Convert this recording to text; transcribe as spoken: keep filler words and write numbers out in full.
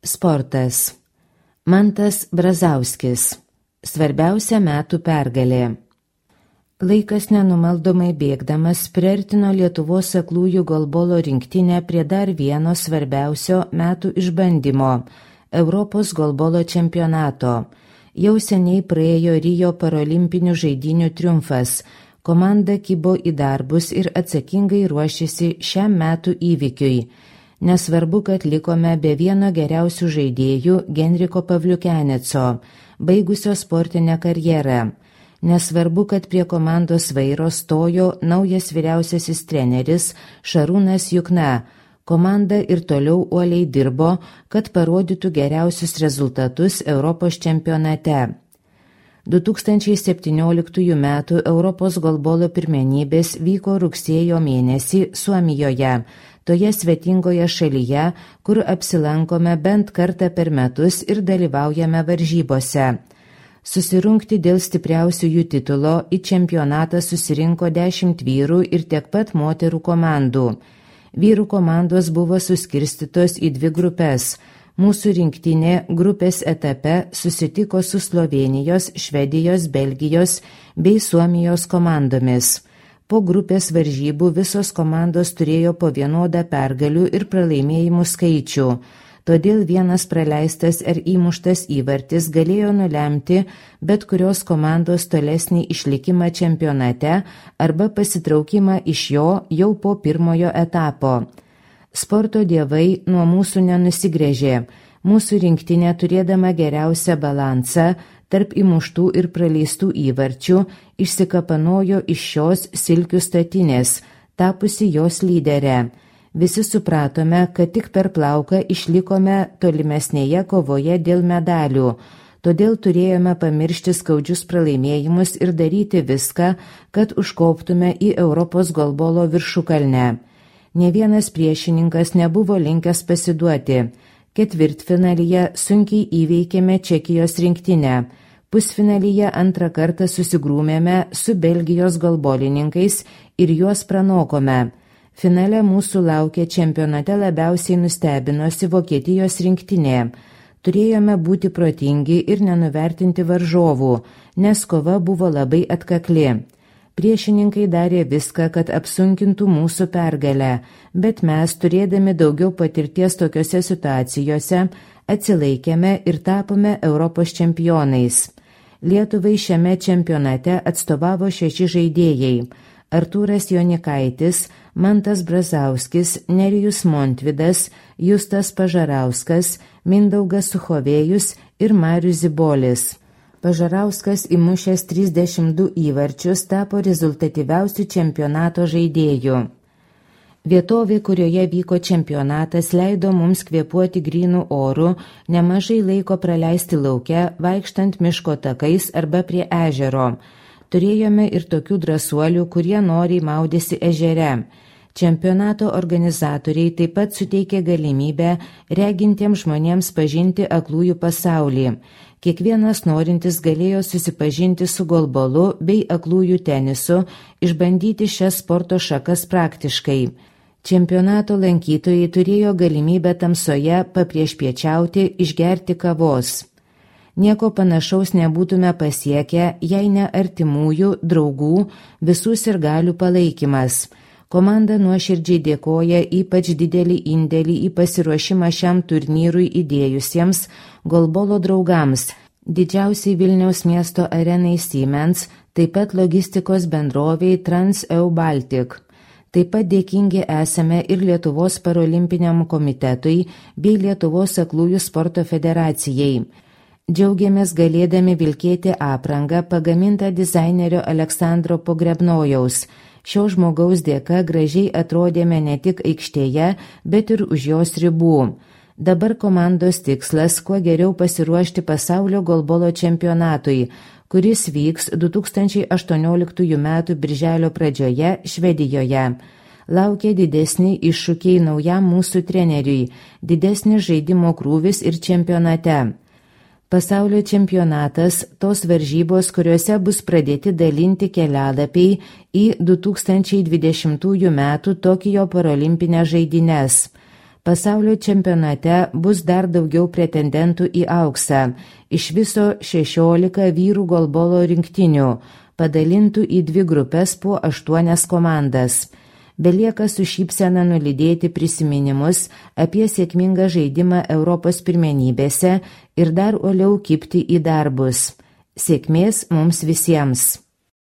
Sportas. Mantas Brazauskis. Svarbiausia metų pergalė. Laikas nenumaldomai bėgdamas priartino Lietuvos aklųjų golbolo rinktinę prie dar vieno svarbiausio metų išbandymo – Europos golbolo čempionato. Jau seniai praėjo Rio parolimpinių žaidynių triumfas. Komanda kibo į darbus ir atsakingai ruošėsi šiam metų įvykiui. Nesvarbu, kad likome be vieno geriausių žaidėjų Genriko Pavliukeneco, baigusio sportinę karjerą. Nesvarbu, kad prie komandos vairo stojo naujas vyriausiasis treneris Šarūnas Jukna. Komanda ir toliau uoliai dirbo, kad parodytų geriausius rezultatus Europos čempionate. du tūkstančiai septynioliktųjų metų Europos golbolo pirmenybės vyko rugsėjo mėnesį Suomijoje, toje svetingoje šalyje, kur apsilankome bent kartą per metus ir dalyvaujame varžybose. Susirungti dėl stipriausiųjų titulo į čempionatą susirinko dešimt vyrų ir tiek pat moterų komandų. Vyrų komandos buvo suskirstytos į dvi grupės. Mūsų rinktinė grupės etape susitiko su Slovėnijos, Švedijos, Belgijos bei Suomijos komandomis. Po grupės varžybų visos komandos turėjo po vienodą pergalių ir pralaimėjimų skaičių. Todėl vienas praleistas ar įmuštas įvartis galėjo nulemti bet kurios komandos tolesnį išlikimą čempionate arba pasitraukimą iš jo jau po pirmojo etapo. Sporto dievai nuo mūsų nenusigręžė. Mūsų rinktinė, turėdama geriausią balansą tarp įmuštų ir praleistų įvarčių, išsikapanojo iš šios silkių statinės, tapusi jos lyderė. Visi supratome, kad tik per plauką išlikome tolimesnėje kovoje dėl medalių, todėl turėjome pamiršti skaudžius pralaimėjimus ir daryti viską, kad užkoptume į Europos golbolo viršukalnę. Ne vienas priešininkas nebuvo linkęs pasiduoti. Ketvirtfinalyje sunkiai įveikėme Čekijos rinktinę. Pusfinalyje antrą kartą susigrūmėme su Belgijos golbolininkais ir juos pranokome. Finale mūsų laukė čempionate labiausiai nustebinusi Vokietijos rinktinė. Turėjome būti protingi ir nenuvertinti varžovų, nes kova buvo labai atkakli. Priešininkai darė viską, kad apsunkintų mūsų pergalę, bet mes, turėdami daugiau patirties tokiose situacijose, atsilaikėme ir tapome Europos čempionais. Lietuvai šiame čempionate atstovavo šeši žaidėjai – Artūras Jonikaitis, Mantas Brazauskis, Nerijus Montvydas, Justas Pažarauskas, Mindaugas Suchovėjus ir Marius Zibolis. Pažarauskas įmušęs trisdešimt du įvarčius tapo rezultatyviausiu čempionato žaidėju. Vietovė, kurioje vyko čempionatas, leido mums kvėpuoti grynų orų, nemažai laiko praleisti lauke, vaikštant miško takais arba prie ežero. Turėjome ir tokių drąsuolių, kurie noriai maudėsi ežere. Čempionato organizatoriai taip pat suteikė galimybę regintiems žmonėms pažinti aklųjų pasaulį. Kiekvienas norintis galėjo susipažinti su golbolu bei aklųjų tenisu, išbandyti šias sporto šakas praktiškai. Čempionato lankytojai turėjo galimybę tamsoje papriešpiečiauti, išgerti kavos. Nieko panašaus nebūtume pasiekę, jei ne artimųjų, draugų, visų sirgalių palaikymas. Komanda nuoširdžiai dėkoja ypač didelį indėlį į pasiruošimą šiam turnyrui įdėjusiems golbolo draugams, didžiausiai Vilniaus miesto arenai Siemens, taip pat logistikos bendroviai Trans-Eu Baltic. Taip pat dėkingi esame ir Lietuvos parolimpiniam komitetui bei Lietuvos aklųjų sporto federacijai. Džiaugiamės galėdami vilkėti aprangą pagamintą dizainerio Aleksandro Pogrebnojaus. Šio žmogaus dėka gražiai atrodėme ne tik aikštėje, bet ir už jos ribų. Dabar komandos tikslas kuo geriau pasiruošti pasaulio golbolo čempionatui, kuris vyks du tūkstančiai aštuonioliktųjų metų birželio pradžioje Švedijoje. Laukia didesni iššūkiai naujam mūsų treneriui, didesnis žaidimo krūvis ir čempionate. Pasaulio čempionatas – tos varžybos, kuriuose bus pradėti dalinti kelialapiai į du tūkstančiai dvidešimtųjų metų Tokijo parolimpinės žaidynes. Pasaulio čempionate bus dar daugiau pretendentų į auksą, iš viso šešiolika vyrų golbolo rinktinių, padalintų į dvi grupės po aštuonias komandas. Belieka su šypsena nulydėti prisiminimus apie sėkmingą žaidimą Europos pirmenybėse ir dar uoliau kibti į darbus. Sėkmės mums visiems!